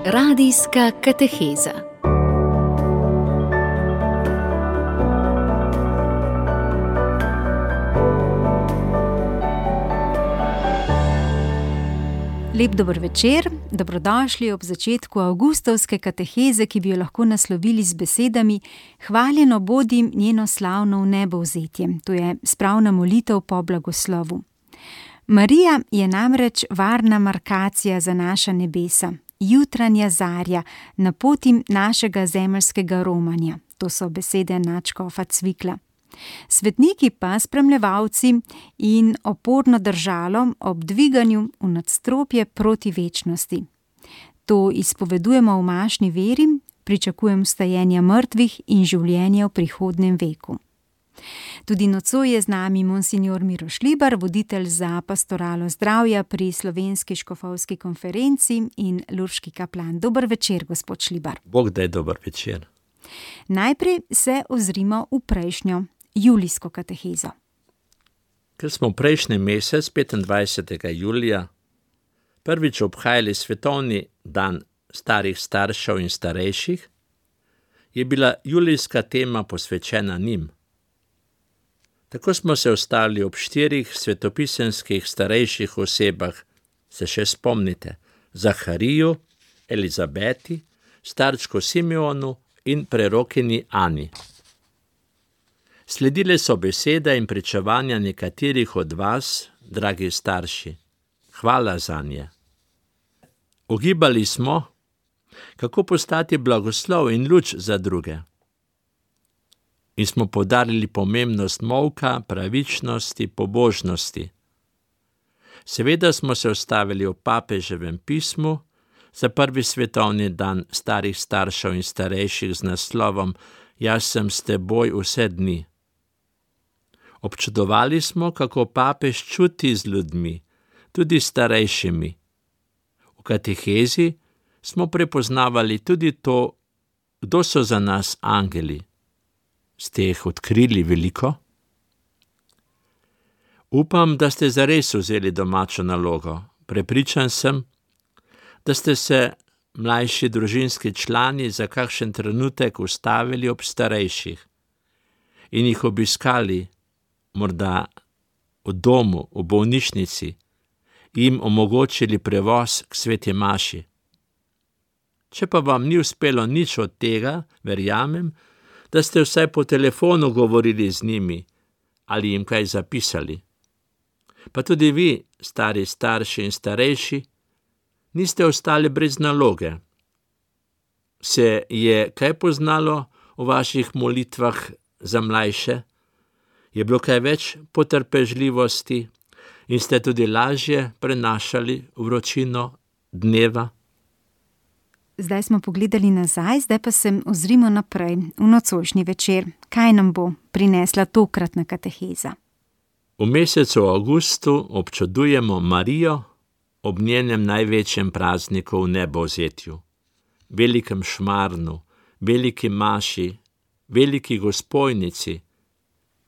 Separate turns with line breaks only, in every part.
Radijska kateheza. Lep dober večer, dobrodošli ob začetku avgustovske kateheze, ki bi jo lahko naslovili z besedami: Hvaljeno bodi njeno slavno vnebovzetje. To je spravna molitev po blagoslovu. Marija je namreč varna markacija za naša nebesa, jutranja zarja na poti našega zemeljskega romanja. To so besede nadškofa Cvikla. Svetniki pa spremljevalci in oporno držalo ob dviganju v nadstropje proti večnosti. To izpovedujemo v mašni veri, pričakujem vstajenja mrtvih in življenja v prihodnem veku. Tudi nocoj je z nami monsignor Miro Šlibar, voditelj za pastoralo zdravja pri Slovenski škofovski konferenci in lurški kaplan. Dober večer, gospod Šlibar.
Bog daj dober večer.
Najprej se ozrimo v prejšnjo julijsko katehezo.
Ker smo prejšnji mesec, 25. julija, prvič obhajali svetovni dan starih staršev in starejših, je bila julijska tema posvečena njim. Tako smo se ustavili ob 4 svetopisemskih starejših osebah, se še spomnite, Zahariju, Elizabeti, starčku Simeonu in prerokini Ani. Sledile so besede in pričevanja nekaterih od vas, dragi starši. Hvala zanje. Ugibali smo, kako postati blagoslov in luč za druge. In smo poudarili pomembnost molka, pravičnosti, pobožnosti. Seveda smo se ustavili v papeževem pismu za prvi svetovni dan starih staršev in starejših z naslovom Jaz sem s teboj vse dni. Občudovali smo, kako papež čuti z ljudmi, tudi starejšimi. V katehezi smo prepoznavali tudi to, kdo so za nas angeli. Ste jih odkrili veliko? Upam, da ste zares vzeli domačo nalogo. Prepričan sem, da ste se mlajši družinski člani za kakšen trenutek ustavili ob starejših in jih obiskali, morda v domu, v bolnišnici, jim omogočili prevoz k sveti maši. Če pa vam ni uspelo nič od tega, verjamem, da ste vsaj po telefonu govorili z njimi ali jim kaj zapisali. Pa tudi vi, stari starši in starejši, niste ostali brez naloge. Se je kaj poznalo v vaših molitvah za mlajše? Je bilo kaj več potrpežljivosti in ste tudi lažje prenašali vročino dneva?
Zdaj smo pogledali nazaj, zdaj pa se ozrimo naprej, v nocojšnji večer. Kaj nam bo prinesla tokratna kateheza?
V mesecu avgustu občudujemo Marijo ob njenem največjem prazniku v nebovzetju, velikem šmarnu, veliki maši, veliki Gosposnici,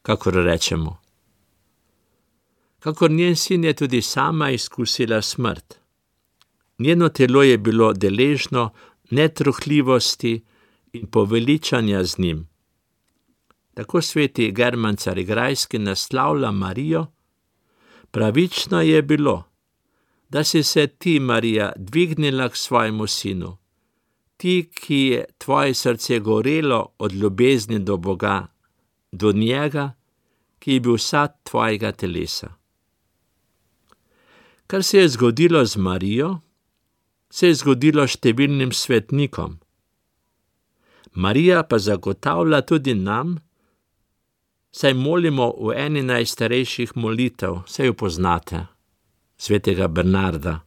kakor rečemo. Kakor njen sin je tudi sama izkusila smrt. Njeno telo je bilo deležno netruhljivosti in poveličanja z njim. Tako sveti German Carigrajski naslavlja Marijo: pravično je bilo, da si se ti, Marija, dvignila k svojemu sinu, ti, ki je tvoje srce gorelo od ljubezni do Boga, do njega, ki je bil sad tvojega telesa. Kar se je zgodilo z Marijo, se je zgodilo številnim svetnikom. Marija pa zagotavlja tudi nam, saj molimo v eni najstarejših molitev, saj jo poznate, svetega Bernarda,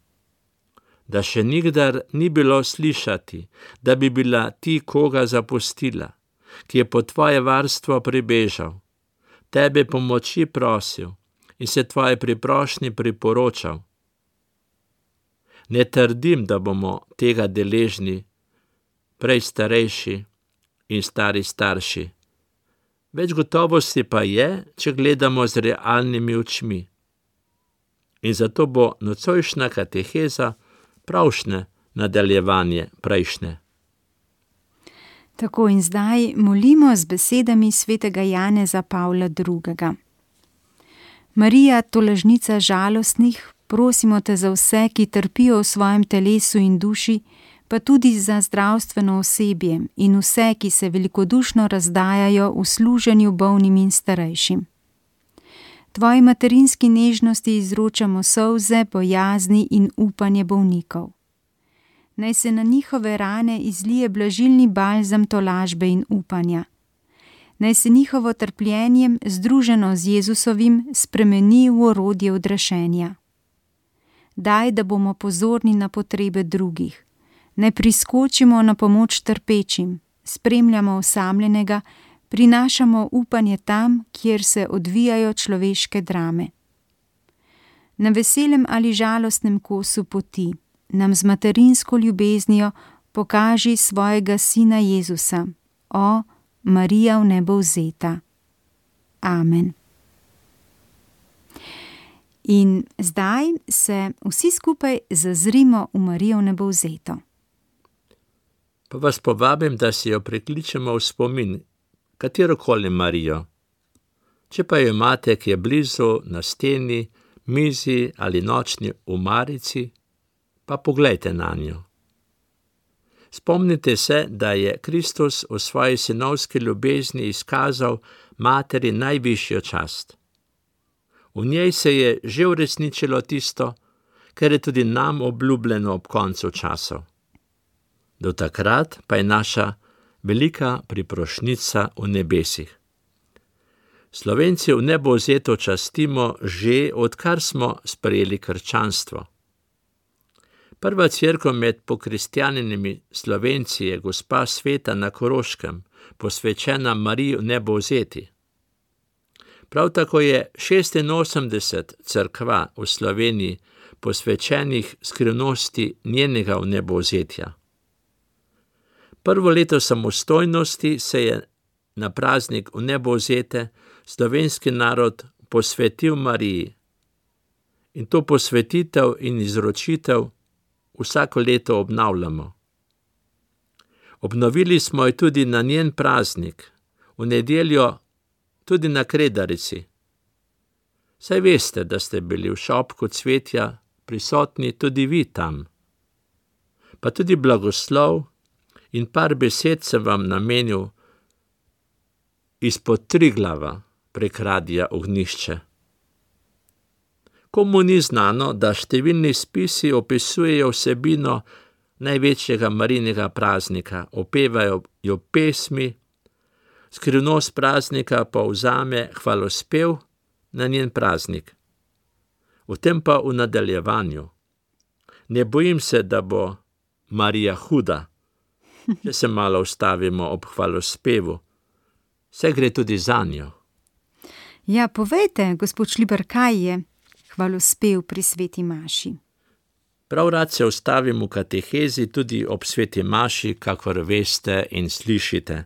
da še nikdar ni bilo slišati, da bi bila ti koga zapustila, ki je po tvoje varstvo pribežal, tebe pomoči prosil in se tvoje priprošnji priporočal. Ne trdim, da bomo tega deležni, prej starejši in stari starši. Več gotovosti pa je, če gledamo z realnimi očmi. In zato bo nocojšnja kateheza pravšnje nadaljevanje prejšnje.
Tako in zdaj molimo z besedami svetega Janeza Pavla II. Marija, tolažnica žalostnih, prosimo te za vse, ki trpijo v svojem telesu in duši, pa tudi za zdravstveno osebje in vse, ki se velikodušno razdajajo v služenju bolnim in starejšim. Tvoji materinski nežnosti izročamo solze, bojazni in upanje bolnikov. Naj se na njihove rane izlije blažilni balzam tolažbe in upanja. Naj se njihovo trpljenjem, združeno z Jezusovim, spremeni v orodje odrešenja. Daj, da bomo pozorni na potrebe drugih. Naj priskočimo na pomoč trpečim, spremljamo osamljenega, prinašamo upanje tam, kjer se odvijajo človeške drame. Na veselem ali žalostnem kosu poti nam z materinsko ljubeznijo pokaži svojega sina Jezusa, o Marija v nebo vzeta. Amen. In zdaj se vsi skupaj zazrimo v Marijo v nebo vzeto.
Pa vas povabim, da si jo prikličemo v spomin, katerokoli Marijo. Če pa jo imate, ki je blizu, na steni, mizi ali nočni omarici, pa poglejte na njo. Spomnite se, da je Kristus v svoji sinovski ljubezni izkazal materi najvišjo čast. V njej se je že uresničilo tisto, kar je tudi nam obljubljeno ob koncu časov. Do takrat pa je naša velika priprošnjica v nebesih. Slovenci v nebo vzeto častimo že, odkar smo sprejeli krščanstvo. Prva cerkev med pokristjanjenimi Slovenci je gospa Sveta na Koroškem, posvečena Mariji v nebo vzeti. Prav tako je 86 cerkva v Sloveniji posvečenih skrivnosti njenega v nebo vzetja. Prvo leto samostojnosti se je na praznik v nebo vzete slovenski narod posvetil Mariji. In to posvetitev in izročitev vsako leto obnavljamo. Obnovili smo jo tudi na njen praznik, v nedeljo tudi na Kredarici. Saj veste, da ste bili v šopku cvetja prisotni tudi vi tam. Pa tudi blagoslov in par besed sem vam namenil izpod Triglava prek Radia Ognjišče. Komu ni znano, da številni spisi opisujejo vsebino največjega Marijinega praznika, opevajo jo pesmi, skrivnost praznika pa vzame hvalospev na njen praznik. V tem pa v nadaljevanju. Ne bojim se, da bo Marija huda, če se malo ustavimo ob hvalospevu. Vse gre tudi zanjo.
Ja, povejte, gospod Šlibar, kaj je hvalospev pri sveti maši?
Prav rad se ustavim v katehezi tudi ob sveti maši, kakor veste in slišite.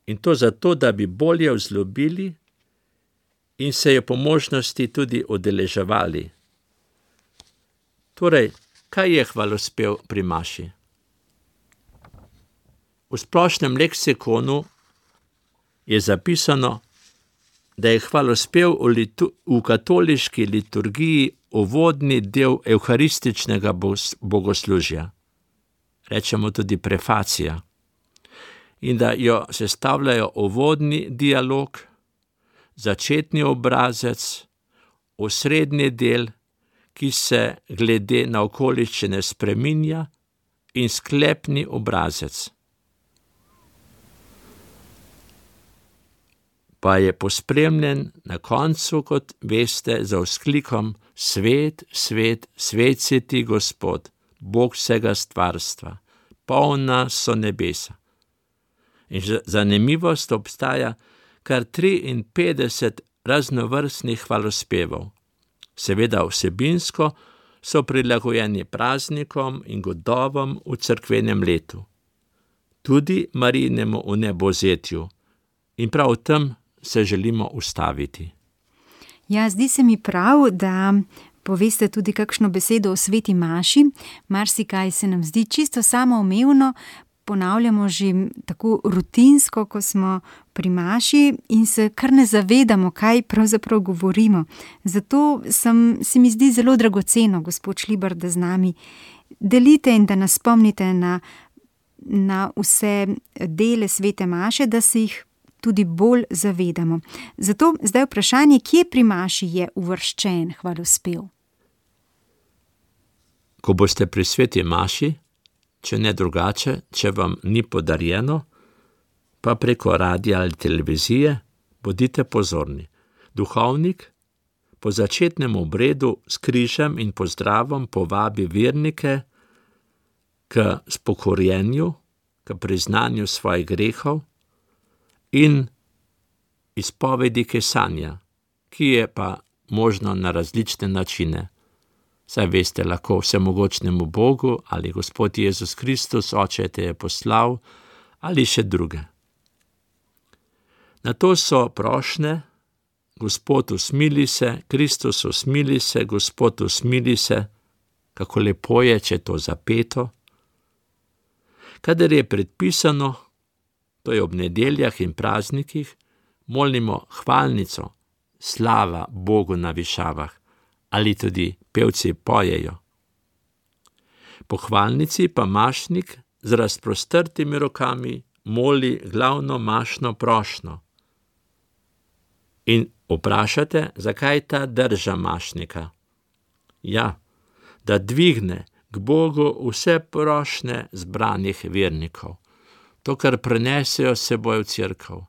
In to zato, da bi bolje vzljubili in se jo po možnosti tudi udeleževali. Torej, kaj je hvalospev pri maši? V splošnem leksikonu je zapisano, da je hvalospev v katoliški liturgiji uvodni del evharističnega bogoslužja. Rečemo tudi prefacija. In da jo sestavljajo uvodni dialog, začetni obrazec, osrednji del, ki se glede na okoliščine spreminja, in sklepni obrazec. Pa je pospremljen na koncu, kot veste, za vzklikom Svet, svet, svet si ti, Gospod, Bog vsega stvarstva, polna so nebesa. In zanimivost, obstaja kar 53 raznovrstnih hvalospevov. Seveda vsebinsko so prilagojeni praznikom in godovom v cerkvenem letu. Tudi Marijinemu vnebovzetju. In prav v tem se želimo ustaviti.
Ja, zdi se mi prav, da poveste tudi kakšno besedo o sveti maši. Marsikaj se nam zdi čisto samoumevno, ponavljamo že tako rutinsko, ko smo pri maši in se kar ne zavedamo, kaj pravzaprav govorimo. Zato se mi zdi zelo dragoceno, gospod Šlibar, da z nami delite in da nas spomnite na vse dele svete maše, da se jih tudi bolj zavedamo. Zato zdaj vprašanje, kje pri maši je uvrščen hvalospev?
Ko boste pri sveti maši, če ne drugače, če vam ni podarjeno, pa preko radia ali televizije, bodite pozorni. Duhovnik po začetnem obredu s križem in pozdravom povabi vernike k spokorjenju, k priznanju svojih grehov in izpovedi kesanja, ki je pa možno na različne načine. Saj veste, lahko vsemogočnemu Bogu ali Gospod Jezus Kristus, Oče te je poslal, ali še druge. Nato so prošnje: Gospod usmili se, Kristus usmili se, Gospod usmili se. Kako lepo je, če to zapeto. Kadar je predpisano, to je ob nedeljah in praznikih, molimo hvalnico, slava Bogu na višavah, ali tudi pevci pojejo. Po hvalnici pa mašnik z razprostrtimi rokami moli glavno mašno prošnjo. In vprašate, zakaj ta drža mašnika? Ja, da dvigne k Bogu vse prošnje zbranih vernikov. To, kar prenesejo s seboj v cerkev,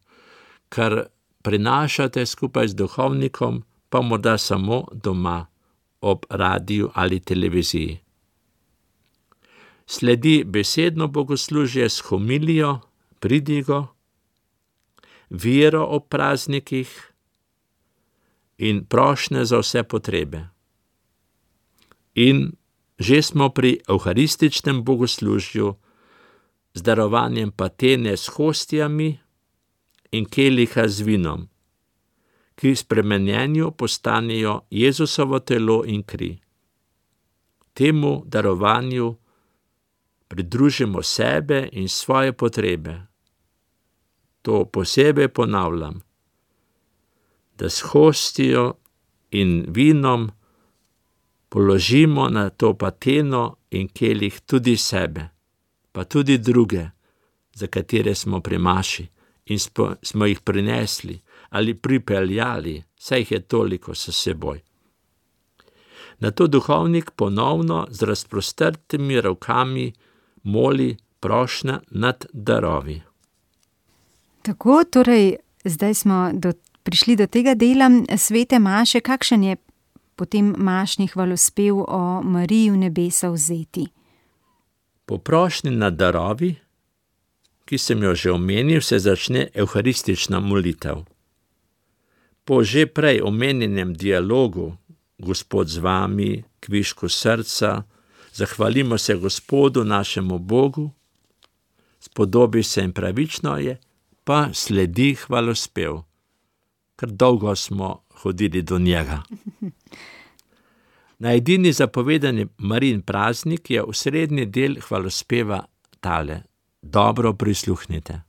kar prinašate skupaj z duhovnikom, pa morda samo doma, ob radiju ali televiziji. Sledi besedno bogoslužje s homilijo, pridigo, vero ob praznikih in prošnje za vse potrebe. In že smo pri evharističnem bogoslužju z darovanjem patene s hostijami in keliha z vinom, ki spremenjenju postanejo Jezusovo telo in kri. Temu darovanju pridružimo sebe in svoje potrebe. To posebej ponavljam, da s hostijo in vinom položimo na to pateno in kelih tudi sebe, pa tudi druge, za katere smo pri maši in smo jih prinesli ali pripeljali, saj jih je toliko s seboj. Nato duhovnik ponovno z razprostrtimi rokami moli prošnja nad darovi.
Tako, torej, zdaj smo prišli do tega dela svete maše. Kakšen je potem mašni hvalospev o Mariji v nebesa vzeti?
Po prošnji nad darovi, ki sem jo že omenil, se začne evharistična molitev. Po že prej omenjenem dialogu Gospod z vami, kvišku srca, zahvalimo se Gospodu našemu Bogu, spodobi se in pravično je, pa sledi hvalospev. Ker dolgo smo hodili do njega. Na edini zapovedani Marijin praznik je osrednji del hvalospeva tale: dobro prisluhnite.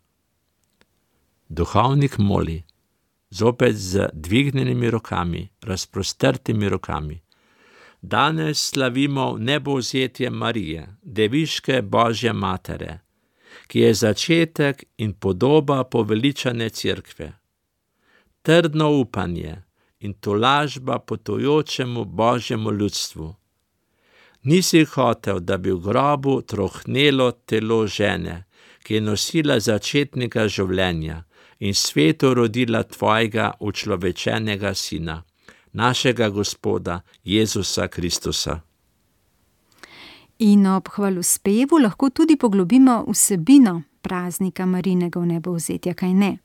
Duhovnik moli, zopet z dvignjenimi rokami, razprostrtimi rokami. Danes slavimo nebovzetje Marije, deviške Božje matere, ki je začetek in podoba poveličane cerkve. Trdno upanje in tolažba potujočemu Božjemu ljudstvu. Nisi hotel, da bi v grobu trohnelo telo žene, ki je nosila začetnika življenja in svetu rodila tvojega učlovečenega sina, našega Gospoda Jezusa Kristusa.
In ob hvalospevu lahko tudi poglobimo vsebino praznika Marijinega vnebovzetja, kaj ne?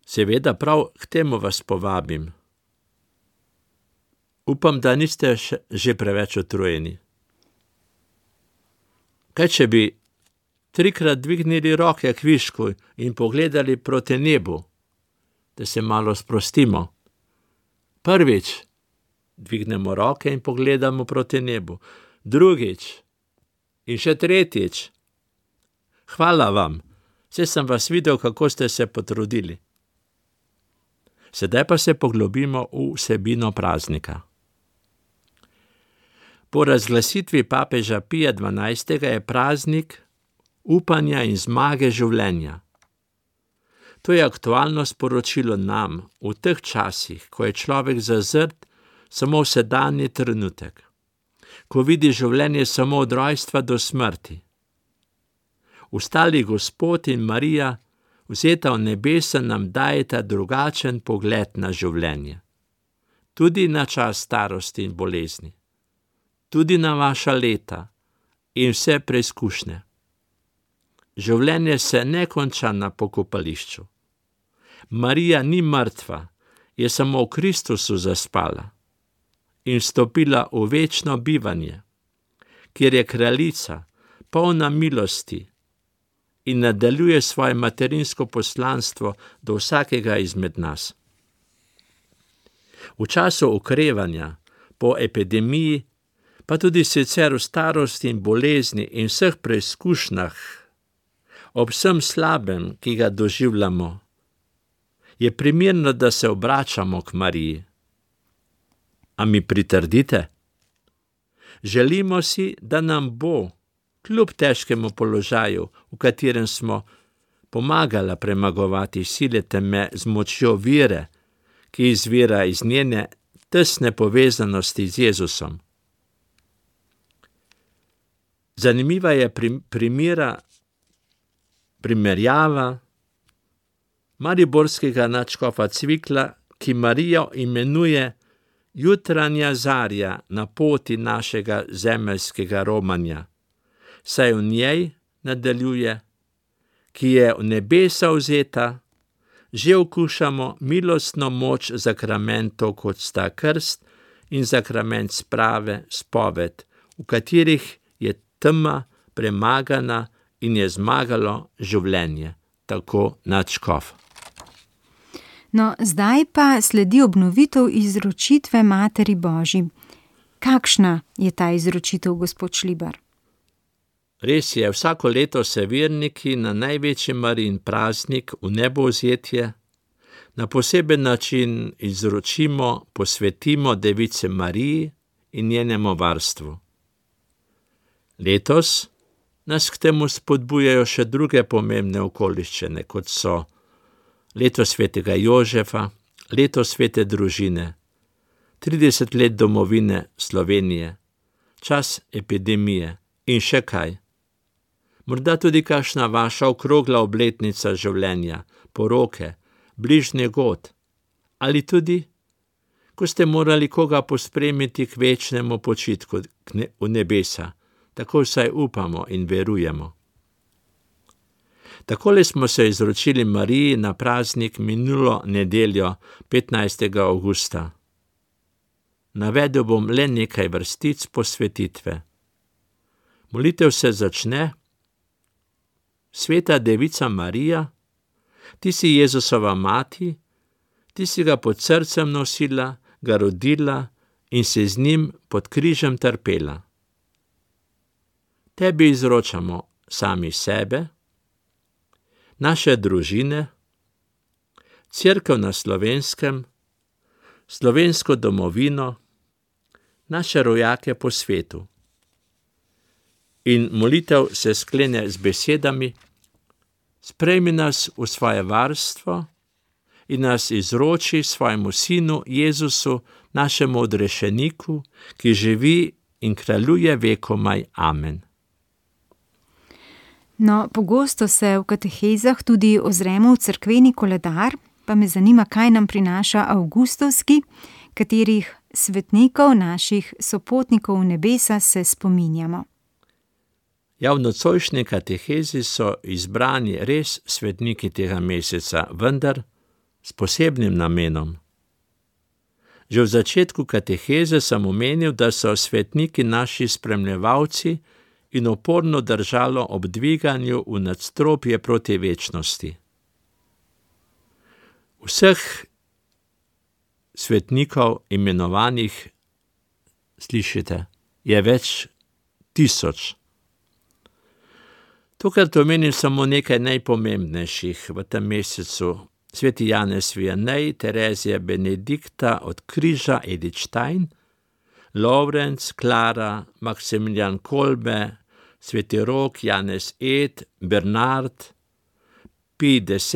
Seveda, prav k temu vas povabim. Upam, da niste že preveč utrujeni. Kaj če bi 3-krat dvignili roke k višku in pogledali proti nebu, da se malo sprostimo? Prvič, dvignemo roke in pogledamo proti nebu. Drugič in še tretjič. Hvala vam, saj sem vas videl, kako ste se potrudili. Sedaj pa se poglobimo v vsebino praznika. Po razglasitvi papeža Pija XII. Je praznik upanja in zmage življenja. To je aktualno sporočilo nam v teh časih, ko je človek zazrt samo v sedanji trenutek, ko vidi življenje samo od rojstva do smrti. Ustali Gospod in Marija, vzeta v nebesa, nam dajeta drugačen pogled na življenje, tudi na čas starosti in bolezni, tudi na vaša leta in vse preizkušnje. Življenje se ne konča na pokopališču. Marija ni mrtva, je samo v Kristusu zaspala in vstopila v večno bivanje, kjer je kraljica, polna milosti in nadaljuje svoje materinsko poslanstvo do vsakega izmed nas. V času okrevanja, po epidemiji, pa tudi sicer v starosti in bolezni in vseh preizkušnjah, ob vsem slabem, ki ga doživljamo, je primerno, da se obračamo k Mariji. A mi pritrdite? Želimo si, da nam bo, kljub težkemu položaju, v katerem smo, pomagala premagovati sile teme z močjo vere, ki izvira iz njene tesne povezanosti z Jezusom. Zanimiva je primerjava mariborskega nadškofa Cvikla, ki Marijo imenuje jutranja zarja na poti našega zemeljskega romanja, saj v njej, nadaljuje, ki je v nebesa vzeta, že okušamo milostno moč zakramentov, kot sta krst in zakrament sprave, spoved, v katerih je tema premagana in je zmagalo življenje, tako nadškof.
No, zdaj pa sledi obnovitev izročitve Materi Božji. Kakšna je ta izročitev, gospod Šlibar?
Res je, vsako leto se verniki na največji Marijin praznik v nebovzetje na poseben način izročimo, posvetimo Devici Mariji in njenemu varstvu. Letos nas k temu spodbujajo še druge pomembne okoliščine, kot so leto svetega Jožefa, leto svete družine, 30 let domovine Slovenije, čas epidemije in še kaj. Morda tudi kakšna vaša okrogla obletnica življenja, poroke, bližnji god, ali tudi, ko ste morali koga pospremiti k večnemu počitku v nebesa, tako vsaj upamo in verujemo. Takole smo se izročili Mariji na praznik minulo nedeljo, 15. avgusta. Navedel bom le nekaj vrstic posvetitve. Molitev se začne: Sveta Devica Marija, ti si Jezusova mati, ti si ga pod srcem nosila, ga rodila in se z njim pod križem trpela. Tebi izročamo sami sebe, naše družine, Cerkev na Slovenskem, slovensko domovino, naše rojake po svetu. In molitev se sklene z besedami: Sprejmi nas v svoje varstvo in nas izroči svojemu sinu Jezusu, našemu odrešeniku, ki živi in kraljuje vekomaj. Amen.
No, pogosto se v katehezah tudi ozremo v cerkveni koledar, pa me zanima, kaj nam prinaša avgustovski, katerih svetnikov, naših sopotnikov v nebesa se spominjamo.
Ja, v nocojšnji katehezi so izbrani res svetniki tega meseca, vendar s posebnim namenom. Že v začetku kateheze sem omenil, da so svetniki naši spremljevalci in oporno držalo ob dviganju v nadstropje proti večnosti. Vseh svetnikov, imenovanih Slišite, je več tisoč. Tokrat omenim samo nekaj najpomembnejših v tem mesecu. Sveti Janez Vianney, Terezija Benedikta od križa, Edith Stein, Lovrenc, Klara, Maksimilijan Kolbe, Sveti Rok, Janez Ed, Bernard, Pij X,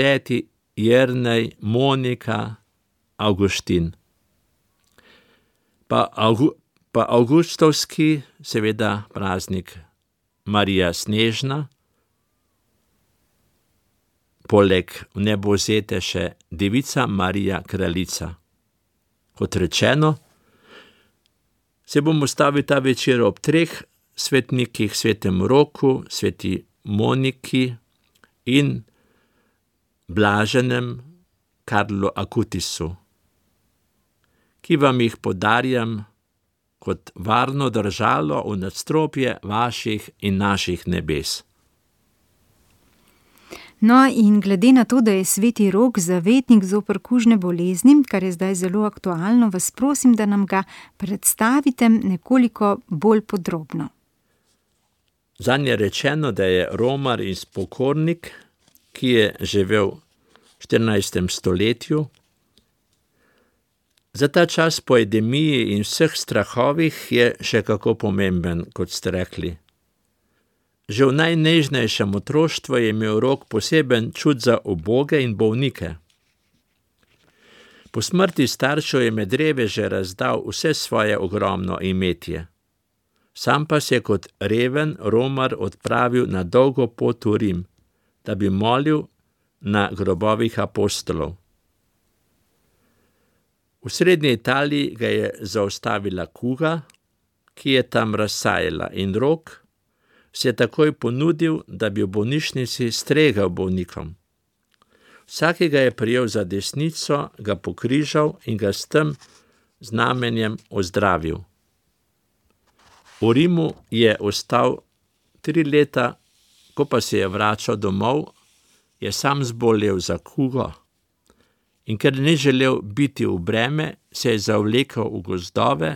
Jernej, Monika, Avguštin. Pa avgustovski, seveda praznik Marija Snežna, poleg vnebovzete še Devica Marija Kraljica. Kot rečeno, se bomo stavili ta večer ob 3 svetnikih, svetem Roku, sveti Moniki in blaženem Karlu Akutisu, ki vam jih podarjam kot varno držalo v nadstropje vaših in naših nebes.
No, in glede na to, da je sveti Rok zavetnik zoper kužne bolezni, kar je zdaj zelo aktualno, vas prosim, da nam ga predstavite nekoliko bolj podrobno.
Zanj je rečeno, da je romar in spokornik, ki je živel v 14. stoletju. Za ta čas po epidemiji in vseh strahovih je še kako pomemben, kot ste rekli. Že v najnežnejšem otroštvu je imel Rok poseben čut za uboge in bolnike. Po smrti staršev je med reveže razdal vse svoje ogromno imetje. Sam pa se je kot reven romar odpravil na dolgo pot v Rim, da bi molil na grobovih apostolov. V srednji Italiji ga je zaustavila kuga, ki je tam razsajala, in Rok se je takoj ponudil, da bi v bolnišnici stregel bolnikom. Vsakega je prijel za desnico, ga pokrižal in ga s tem znamenjem ozdravil. V Rimu je ostal 3 leta, ko pa se je vračal domov, je sam zbolel za kugo in ker ni želel biti v breme, se je zavlekel v gozdove,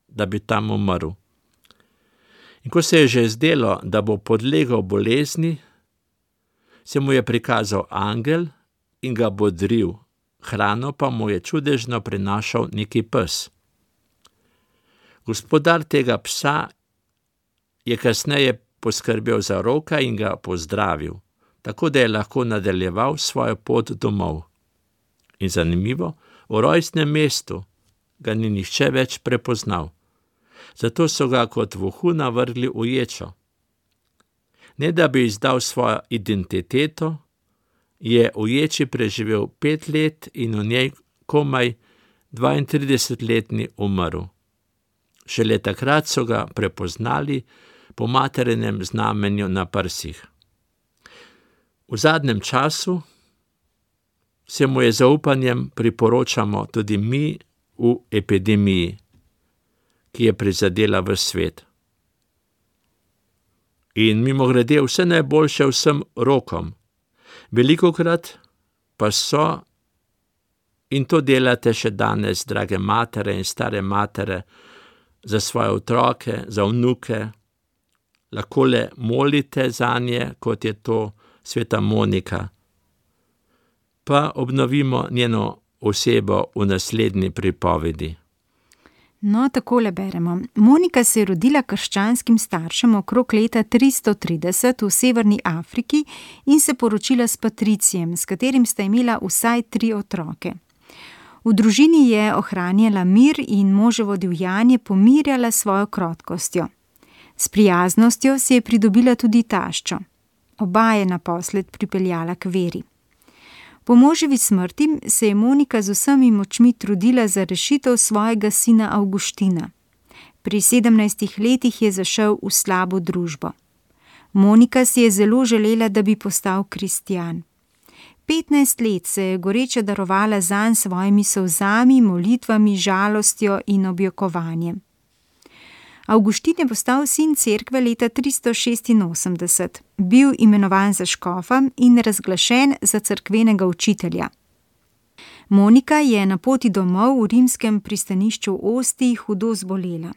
da bi tam umrl. In ko se je že zdelo, da bo podlegel bolezni, se mu je prikazal angel in ga bodril, hrano pa mu je čudežno prinašal neki pes. Gospodar tega psa je kasneje poskrbel za Roka in ga pozdravil, tako da je lahko nadaljeval svojo pot domov. In zanimivo, v rojstnem mestu ga ni nihče več prepoznal. Zato so ga kot vohuna vrgli v ječo. Ne da bi izdal svojo identiteto, je v ječi preživel 5 let in v njej komaj 32-letni umrl. Šele takrat so ga prepoznali po materinem znamenju na prsih. V zadnjem času se mu je zaupanjem priporočamo tudi mi v epidemiji, ki je prizadela ves svet. In mimogrede vse najboljše vsem Rokom. Velikokrat pa so, in to delate še danes, drage matere in stare matere, za svoje otroke, za vnuke, lahko le molite zanje, kot je to sveta Monika. Pa obnovimo njeno osebo v naslednji pripovedi.
No, takole beremo. Monika se je rodila krščanskim staršem okrog leta 330 v severni Afriki in se poročila s Patricijem, s katerim sta imela vsaj 3 otroke. V družini je ohranjala mir in moževo divjanje pomirjala svojo krotkostjo. S prijaznostjo si je pridobila tudi taščo. Oba je naposled pripeljala k veri. Po moževi smrti se je Monika z vsemi močmi trudila za rešitev svojega sina Avguština. Pri 17 letih je zašel v slabo družbo. Monika si je zelo želela, da bi postal kristjan. 15 let se je goreča darovala zanj s svojimi solzami, molitvami, žalostjo in objokovanjem. Avguštin je postal sin cerkve leta 386, bil imenovan za škofa in razglašen za cerkvenega učitelja. Monika je na poti domov v rimskem pristanišču Ostiji hudo zbolela.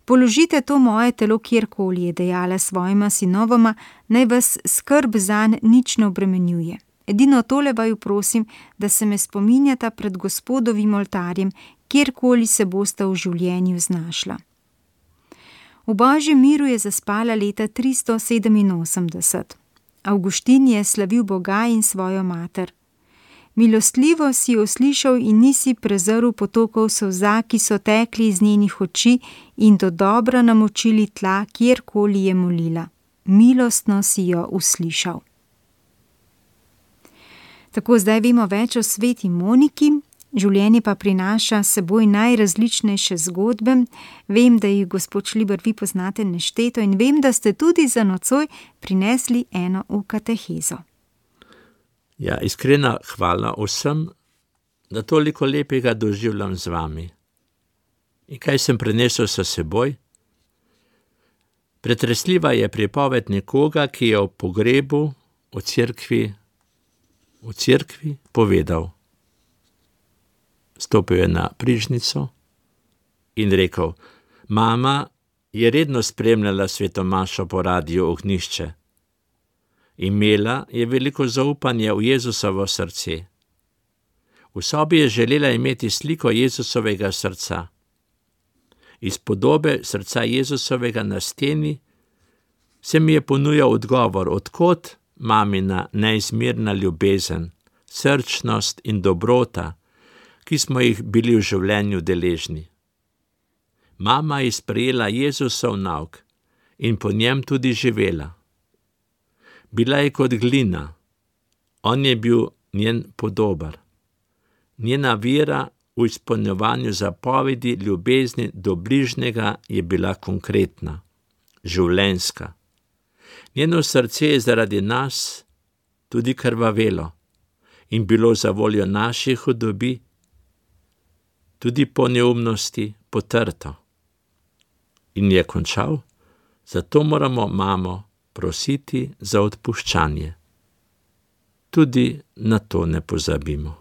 Položite to moje telo kjerkoli, je dejala svojima sinovoma, naj vas skrb zanj nič ne obremenjuje. Edino tole vaju prosim, da se me spominjata pred Gospodovim oltarjem, kjerkoli se bosta v življenju znašla. V Božjem miru je zaspala leta 387. Avguštin je slavil Boga in svojo mater. Milostljivo si jo slišal in nisi prezrl potokov solza, ki so tekli iz njenih oči in do dobra namočili tla, kjerkoli je molila. Milostno si jo uslišal. Tako zdaj vemo več o sveti Moniki, življenje pa prinaša seboj najrazličnejše zgodbe. Vem, da jih, gospod Šliber, vi poznate nešteto in vem, da ste tudi za nocoj prinesli eno v katehezo.
Ja, iskrena hvala vsem, da toliko lepega doživljam z vami. In kaj sem prinesel s seboj? Pretresljiva je pripoved nekoga, ki je o pogrebu v cerkvi povedal. Stopil je na prižnico in rekel: Mama je redno spremljala svetomašo po radiu Ognjišče. Imela je veliko zaupanje v Jezusovo srce. V sobi je želela imeti sliko Jezusovega srca. Iz podobe srca Jezusovega na steni se mi je ponujal odgovor, od kod mamina neizmerna ljubezen, srčnost in dobrota, ki smo jih bili v življenju deležni. Mama je sprejela Jezusov nauk in po njem tudi živela. Bila je kot glina, on je bil njen podobar. Njena vera v izpolnjevanju zapovedi ljubezni do bližnjega je bila konkretna, življenjska. Njeno srce je zaradi nas tudi krvavelo in bilo za voljo naših hudobi, tudi po neumnosti potrto. In je končal, zato moramo mamo prositi za odpuščanje. Tudi na to ne pozabimo.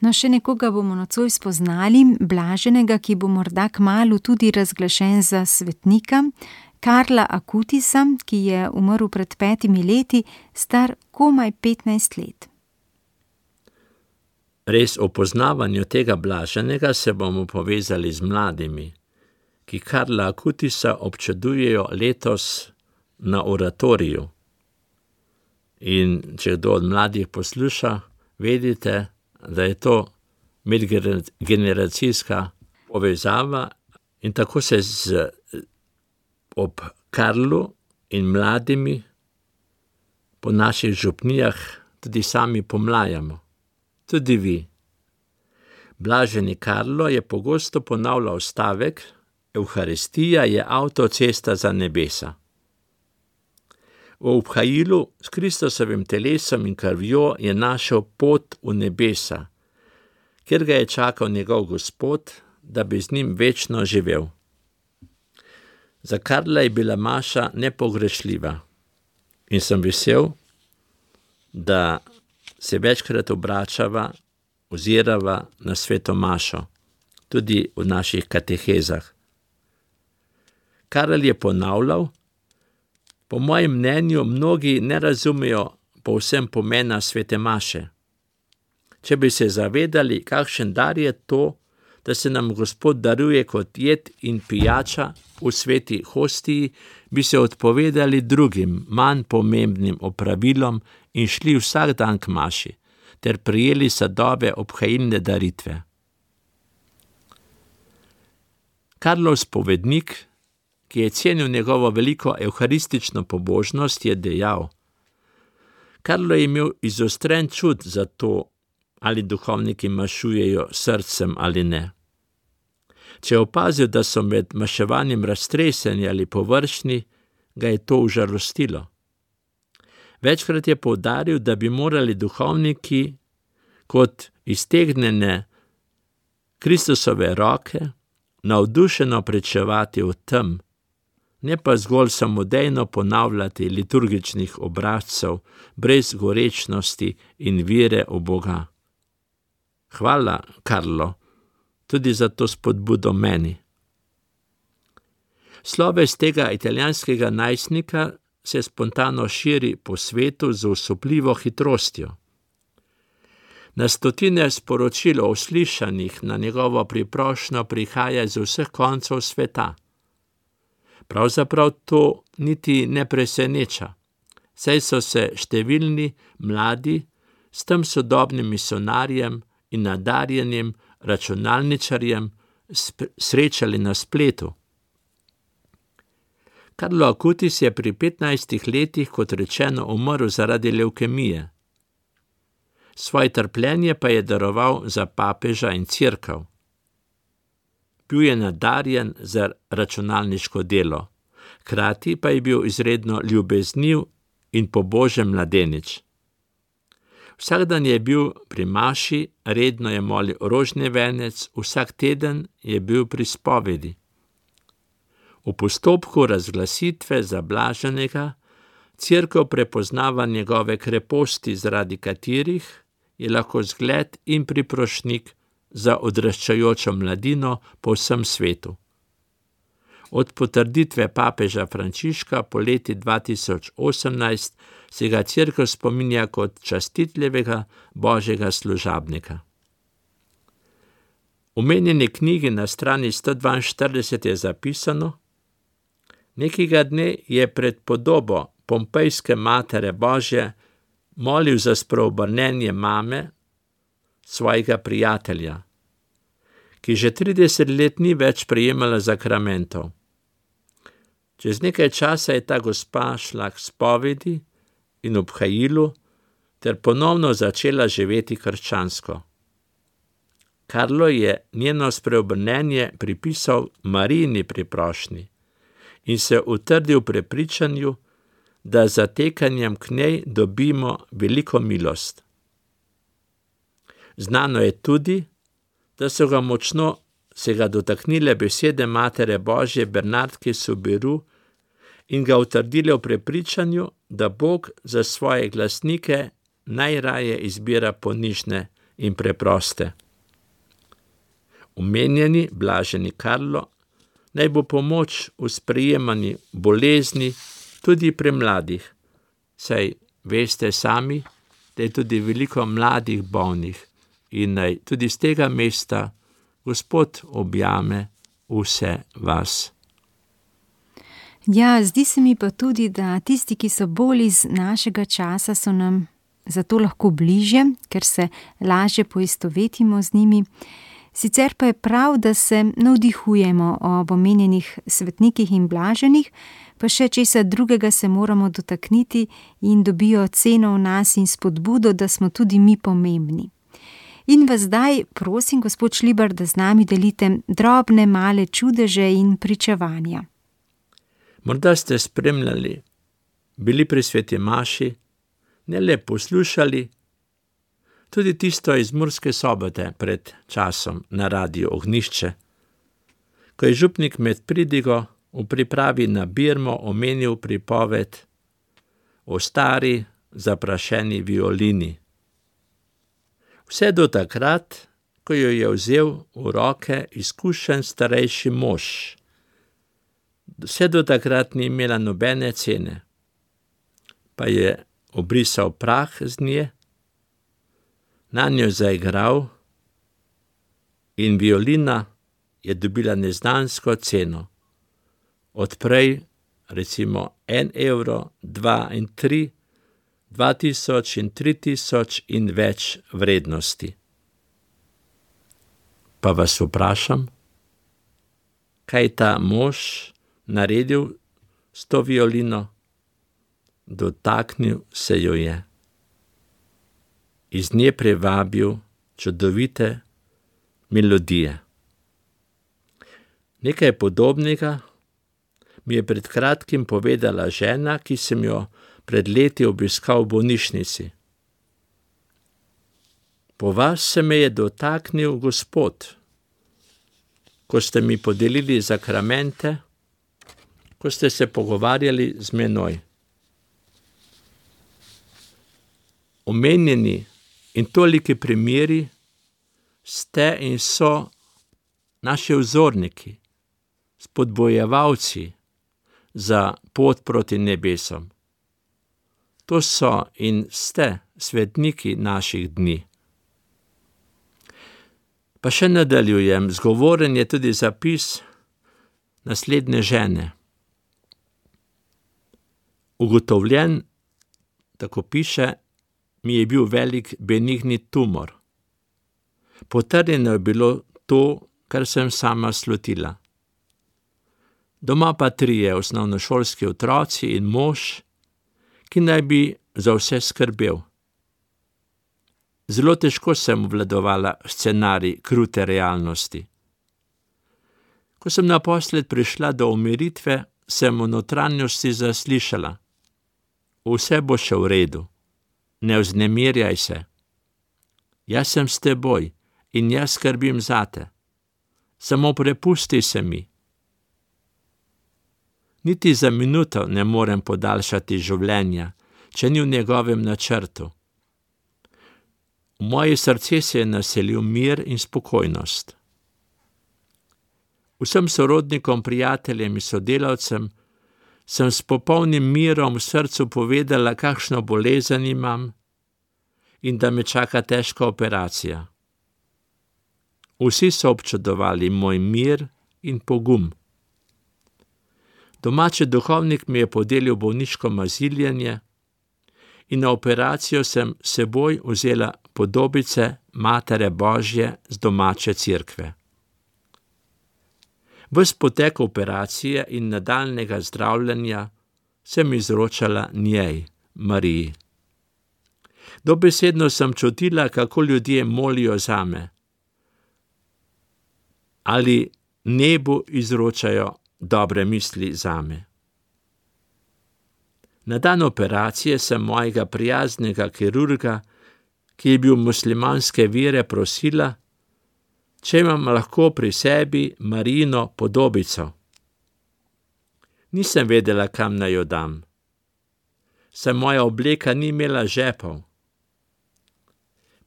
No, še nekoga bomo nocoj spoznali, blaženega, ki bo morda kmalu tudi razglašen za svetnika, Karla Akutisa, ki je umrl pred 5 leti, star komaj 15 let.
Res o poznavanju tega blaženega se bomo povezali z mladimi, ki Karla Akutisa občudujejo letos na oratoriju. In če kdo od mladih posluša, vedite, da je to medgeneracijska povezava in tako se ob Karlu in mladimi po naših župnijah tudi sami pomlajamo. Tudi vi. Blaženi Karlo je pogosto ponavljal stavek: Evharistija je avtocesta za nebesa. V obhajilu s Kristusovim telesom in krvjo je našel pot v nebesa, kjer ga je čakal njegov Gospod, da bi z njim večno živel. Za Karla je bila maša nepogrešljiva in sem vesel, da se večkrat obračava, ozirava na sveto mašo, tudi v naših katehezah. Karel je ponavljal: po mojem mnenju mnogi ne razumejo povsem pomena svete maše. Če bi se zavedali, kakšen dar je to, da se nam Gospod daruje kot jed in pijača v sveti hostiji, bi se odpovedali drugim, manj pomembnim opravilom in šli vsak dan k maši, ter prijeli sadove obhajilne daritve. Karlov spovednik, ki je cenil njegovo veliko evharistično pobožnost, je dejal: Karlo je imel izostren čut za to, ali duhovniki mašujejo srcem ali ne. Če je opazil, da so med maševanjem raztreseni ali površni, ga je to užalostilo. Večkrat je poudaril, da bi morali duhovniki kot iztegnjene Kristusove roke navdušeno pričevati o tem, ne pa zgolj samodejno ponavljati liturgičnih obrazcev brez gorečnosti in vere v Boga. Hvala, Karlo, tudi za to spodbudo meni. Sloves tega italijanskega najstnika se spontano širi po svetu z osupljivo hitrostjo. Na stotine sporočil o uslišanih na njegovo priprošnjo prihaja z vseh koncev sveta. Pravzaprav to niti ne preseneča, saj so se številni mladi s tem sodobnim misionarjem in nadarjenim računalničarjem srečali na spletu. Carlo Acutis je pri 15 letih, kot rečeno, umrl zaradi levkemije. Svoje trpljenje pa je daroval za papeža in cerkev. Bil je nadarjen za računalniško delo, hkrati pa je bil izredno ljubezniv in pobožen mladenič. Vsak dan je bil pri maši, redno je molil rožni venec, vsak teden je bil pri spovedi. V postopku razglasitve za blaženega cerkev prepoznava njegove kreposti, zaradi katerih je lahko zgled in priprošnik za odraščajočo mladino po vsem svetu. Od potrditve papeža Frančiška po leti 2018 se ga cerkev spominja kot častitljivega božjega služabnika. V omenjeni knjigi na strani 142 je zapisano: nekega dne je pred podobo Pompejske Matere Božje molil za spreobrnenje mame, svojega prijatelja, ki že 30 let ni več prejemala zakramentov. Čez nekaj časa je ta gospa šla k spovedi in obhajilu ter ponovno začela živeti krščansko. Carlo je njeno spreobrnenje pripisal Marijini priprošnji in se utrdil v prepričanju, da z zatekanjem k njej dobimo veliko milost. Znano je tudi, da so ga močno se ga dotaknile besede Matere Božje Bernardke Soubirous in ga utrdile v prepričanju, da Bog za svoje glasnike najraje izbira ponižne in preproste. Omenjeni blaženi Carlo naj bo pomoč v sprejemanju bolezni tudi pri mladih, saj veste sami, da je tudi veliko mladih bolnih in naj tudi z tega mesta Gospod objame vse vas.
Ja, zdi se mi pa tudi, da tisti, ki so bolj iz našega časa, so nam zato lahko bližje, ker se lažje poistovetimo z njimi. Sicer pa je prav, da se navdihujemo ob omenjenih svetnikih in blaženih, pa še česa drugega se moramo dotakniti in dobijo ceno v nas in spodbudo, da smo tudi mi pomembni. In vas zdaj prosim, gospod Šlibar, da z nami delite drobne male čudeže in pričevanja.
Morda ste spremljali, bili pri sveti maši, ne le poslušali, tudi tisto iz Murske Sobote pred časom na Radiu Ognjišče, ko je župnik med pridigo v pripravi na birmo omenil pripoved o stari zaprašeni violini. Vse do takrat, ko jo je vzel v roke izkušen starejši mož. Vse do takrat ni imela nobene cene, pa je obrisal prah z nje, nanjo zaigral in violina je dobila neznansko ceno. Odprej recimo 1 evro, 2 in 3, 2000 in 3000 in več vrednosti. Pa vas vprašam, kaj ta mož naredil s to violino? Dotaknil se jo je. Iz nje privabil čudovite melodije. Nekaj podobnega mi je pred kratkim povedala žena, ki sem jo pred leti obiskal v bolnišnici. Po vas se me je dotaknil Gospod, ko ste mi podelili zakramente, ko ste se pogovarjali z menoj. Omenjeni in toliki primeri ste in so naši vzorniki, spodbojevalci za pot proti nebesom. To so in ste svetniki naših dni. Pa še nadaljujem, zgovoren je tudi zapis naslednje žene. Ugotovljen, tako piše, mi je bil velik benigni tumor. Potrjeno je bilo to, kar sem sama slutila. Doma pa 3 osnovnošolski otroci in mož, ki naj bi za vse skrbel. Zelo težko sem obvladovala scenarij krute realnosti. Ko sem naposled prišla do umiritve, sem v notranjosti zaslišala: vse bo še v redu, ne vznemirjaj se. Jaz sem s teboj in jaz skrbim zate. Samo prepusti se mi. Niti za minuto ne morem podaljšati življenja, če ni v njegovem načrtu. V moje srce se je naselil mir in spokojnost. Vsem sorodnikom, prijateljem in sodelavcem sem s popolnim mirom v srcu povedala, kakšno bolezen imam in da me čaka težka operacija. Vsi so občudovali moj mir in pogum. Domači duhovnik mi je podelil bolniško maziljenje in na operacijo sem seboj vzela podobice Matere Božje z domače cerkve. Ves potek operacije in nadaljnjega zdravljenja sem izročala njej, Mariji. Dobesedno sem čutila, kako ljudje molijo zame ali nebu izročajo dobre misli zame. Na dan operacije sem mojega prijaznega kirurga, ki je bil muslimanske vere, prosila, če imam lahko pri sebi Marijino podobico. Nisem vedela, kam naj jo dam, saj moja obleka ni imela žepov.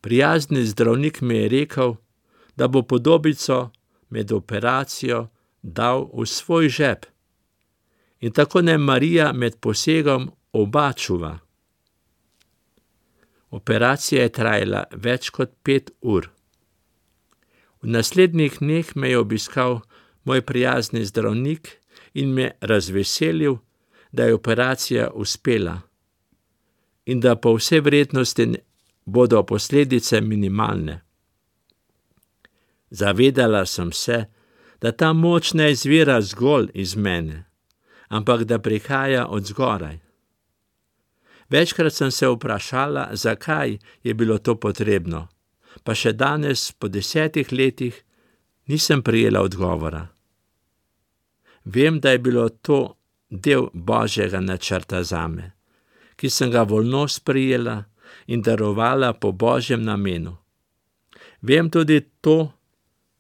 Prijazni zdravnik mi je rekel, da bo podobico med operacijo dal v svoj žep in tako naj Marija med posegom oba čuva. Operacija je trajala več kot 5 ur. V naslednjih dneh me je obiskal moj prijazni zdravnik in me razveselil, da je operacija uspela in da po vsej verjetnosti bodo posledice minimalne. Zavedala sem se, da ta moč ne izvira zgolj iz mene, ampak da prihaja od zgoraj. Večkrat sem se vprašala, zakaj je bilo to potrebno, pa še danes, po 10 letih, nisem prejela odgovora. Vem, da je bilo to del Božjega načrta zame, ki sem ga voljno sprejela in darovala po Božjem namenu. Vem tudi to,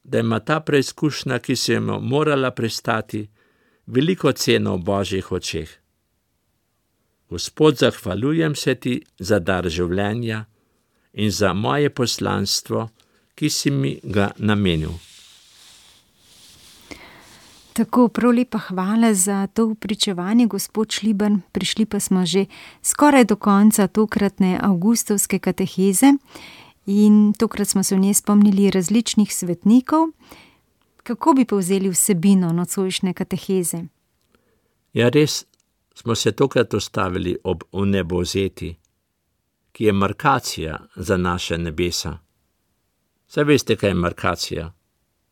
da ima ta preizkušnja, ki sem jo morala prestati, veliko ceno v Božjih očeh. Gospod, zahvaljujem se ti za dar življenja in za moje poslanstvo, ki si mi ga namenil.
Tako, prav lepa hvala za to pričevanje, gospod Šliban. Prišli pa smo že skoraj do konca tokratne avgustovske kateheze in tokrat smo se v njej spomnili različnih svetnikov. Kako bi povzeli vsebino nocojšnje kateheze?
Ja, res smo se tokrat ustavili ob vnebovzeti, ki je markacija za naše nebesa. Saj veste, kaj je markacija?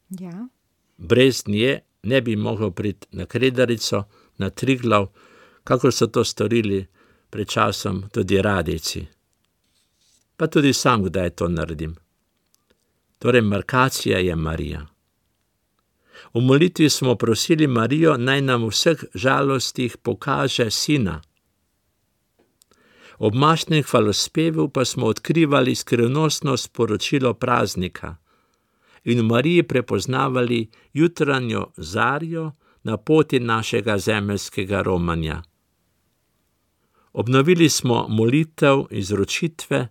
Ja.
Brez nje ne bi mogel priti na Kredarico, na Triglav, kakor so to storili pred časom tudi radijci. Pa tudi sam kdaj to naredim. Torej, markacija je Marija. V molitvi smo prosili Marijo, naj nam v vseh žalostih pokaže sina. Ob mašnem hvalospevu pa smo odkrivali skrivnostno sporočilo praznika in v Mariji prepoznavali jutranjo zarjo na poti našega zemeljskega romanja. Obnovili smo molitev izročitve,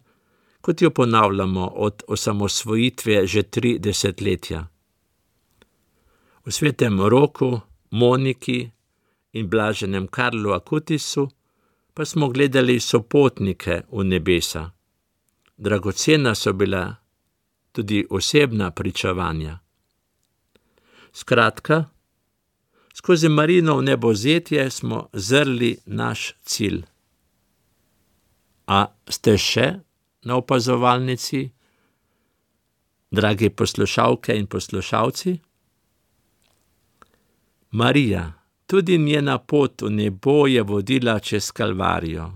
kot jo ponavljamo od osamosvojitve že 3 desetletja. V svetem roku Moniki in blaženem Karlu Akutisu pa smo gledali sopotnike v nebesa. Dragocena so bila tudi osebna pričevanja. Skratka, skozi Marijino vnebovzetje smo zrli naš cilj. A ste še na opazovalnici, dragi poslušalke in poslušalci? Marija, tudi njena pot v nebo je vodila čez Kalvarijo.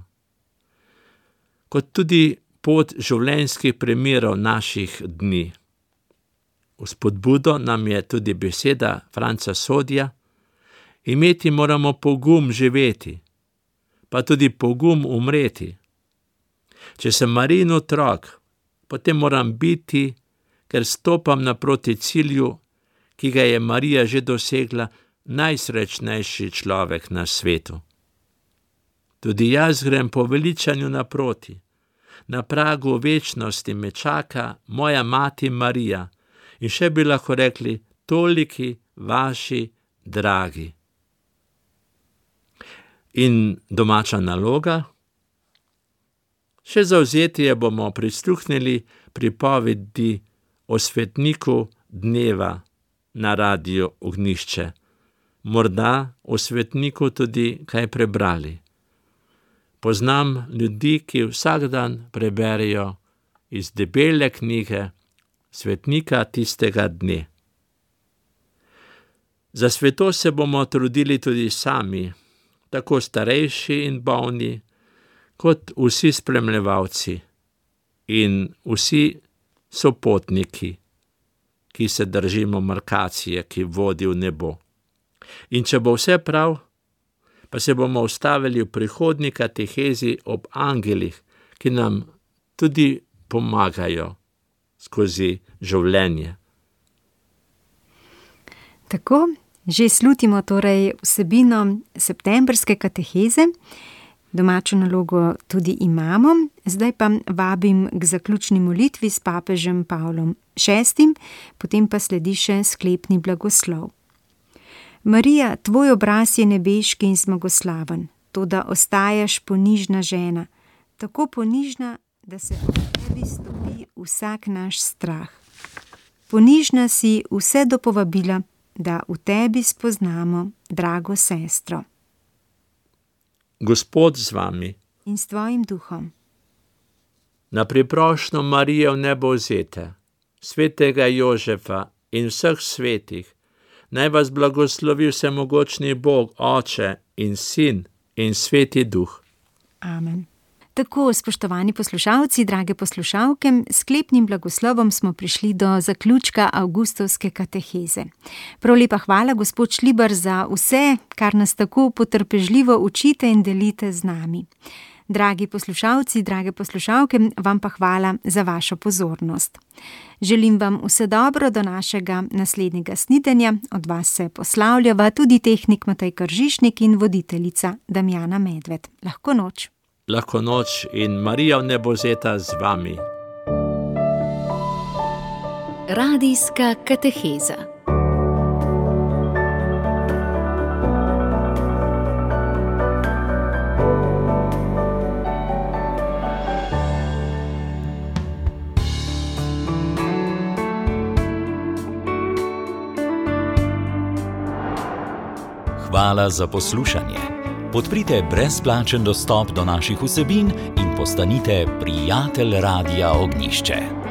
Kot tudi pot življenjskih primerov naših dni. V spodbudo nam je tudi beseda Franca Sodja: imeti moramo pogum živeti, pa tudi pogum umreti. Če sem Marijin otrok, potem moram biti, ker stopam naproti cilju, ki ga je Marija že dosegla, najsrečnejši človek na svetu. Tudi jaz grem po veličanju naproti. Na pragu večnosti me čaka moja mati Marija in še bi lahko rekli toliki vaši dragi. In domača naloga? Še zavzetije bomo prisluhnili pripovedi o svetniku dneva na Radiu Ognjišče. Morda o svetniku tudi kaj prebrali. Poznam ljudi, ki vsak dan preberejo iz debele knjige svetnika tistega dne. Za svetost se bomo trudili tudi sami, tako starejši in bolni, kot vsi spremljevalci in vsi sopotniki, ki se držimo markacije, ki vodi v nebo. In če bo vse prav, pa se bomo ustavili v prihodnji katehezi ob angelih, ki nam tudi pomagajo skozi življenje.
Tako, že slutimo torej vsebino septembrske kateheze. Domačo nalogo tudi imamo, zdaj pa vabim k zaključni molitvi s papežem Pavlom VI, potem pa sledi še sklepni blagoslov. Marija, tvoj obraz je nebeški in zmagoslaven, toda ostajaš ponižna žena, tako ponižna, da se ob tebi stopi vsak naš strah. Ponižna si vse do povabila, da v tebi spoznamo drago sestro.
Gospod z vami.
In s tvojim duhom.
Na priprošnjo Marije vnebovzete, svetega Jožefa in vseh svetih, naj vas blagoslovi vsemogočni Bog, Oče in Sin in Sveti Duh.
Amen. Tako, spoštovani poslušalci, drage poslušalke, s sklepnim blagoslovom smo prišli do zaključka avgustovske kateheze. Prav lepa hvala, gospod Šlibar, za vse, kar nas tako potrpežljivo učite in delite z nami. Dragi poslušalci, drage poslušalke, vam pa hvala za vašo pozornost. Želim vam vse dobro do našega naslednjega snidenja. Od vas se poslavljava tudi tehnik Matej Kržišnik in voditeljica Damjana Medved. Lahko noč.
Lahko noč in Marija vnebovzeta z vami.
Radijska kateheza.
Hvala za poslušanje. Podprite brezplačen dostop do naših vsebin in postanite prijatelj Radia Ognjišče.